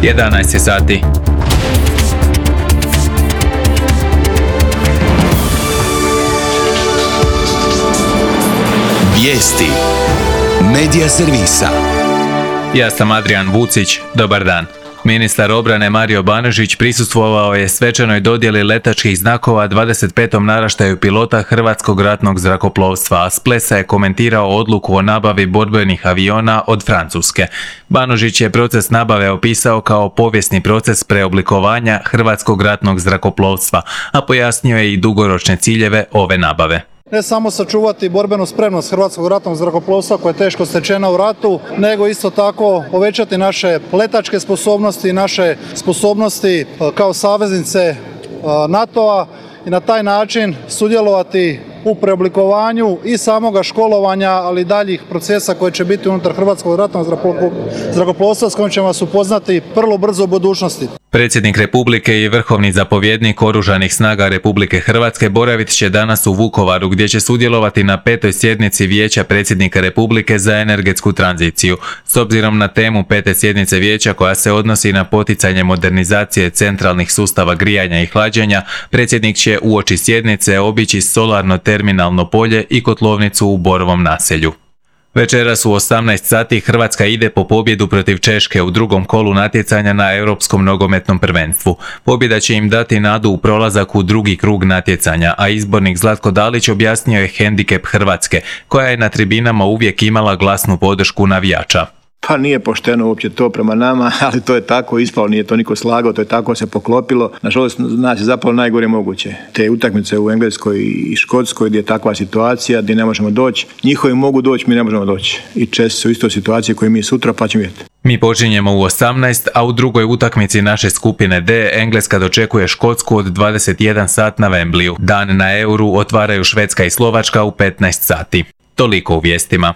11 je sati. Vijesti Medija servisa. Ja sam Adrian Vucić, dobar dan. Ministar obrane Mario Banožić prisustvovao je svečanoj dodjeli letačkih znakova 25. naraštaju pilota Hrvatskog ratnog zrakoplovstva, a s plesa je komentirao odluku o nabavi borbenih aviona od Francuske. Banožić je proces nabave opisao kao povijesni proces preoblikovanja Hrvatskog ratnog zrakoplovstva, a pojasnio je i dugoročne ciljeve ove nabave. Ne samo sačuvati borbenu spremnost Hrvatskog ratnog zrakoplovstva koja je teško stečena u ratu, nego isto tako povećati naše letačke sposobnosti, naše sposobnosti kao saveznice NATO-a i na taj način sudjelovati u preoblikovanju i samoga školovanja, ali i daljih procesa koji će biti unutar Hrvatskog ratnog zrakoplovstva s kojim ćemo vas upoznati vrlo brzo u budućnosti. Predsjednik Republike i vrhovni zapovjednik Oružanih snaga Republike Hrvatske boravit će danas u Vukovaru, gdje će sudjelovati na 5. sjednici Vijeća predsjednika Republike za energetsku tranziciju. S obzirom na temu 5. sjednice Vijeća koja se odnosi na poticanje modernizacije centralnih sustava grijanja i hlađenja, predsjednik će uoči sjednice obići solarno terminalno polje i kotlovnicu u Borovom naselju. Večeras u 18 sati Hrvatska ide po pobjedu protiv Češke u drugom kolu natjecanja na Europskom nogometnom prvenstvu. Pobjeda će im dati nadu u prolazak u drugi krug natjecanja, a izbornik Zlatko Dalić objasnio je hendikep Hrvatske, koja je na tribinama uvijek imala glasnu podršku navijača. Pa nije pošteno uopće to prema nama, ali to je tako ispalo, nije to niko slagao, to je tako se poklopilo. Nažalost, nas je zapravo najgore moguće. Te utakmice u Engleskoj i Škotskoj gdje je takva situacija, gdje ne možemo doći, njihovi mogu doći, mi ne možemo doći. I Česi su isto u situaciji koju mi sutra, pa ćemo vidjeti. Mi počinjemo u 18, a u drugoj utakmici naše skupine D Engleska dočekuje Škotsku od 21 sat na Wembleyu. Dan na Euru otvaraju Švedska i Slovačka u 15 sati. Toliko u vijestima.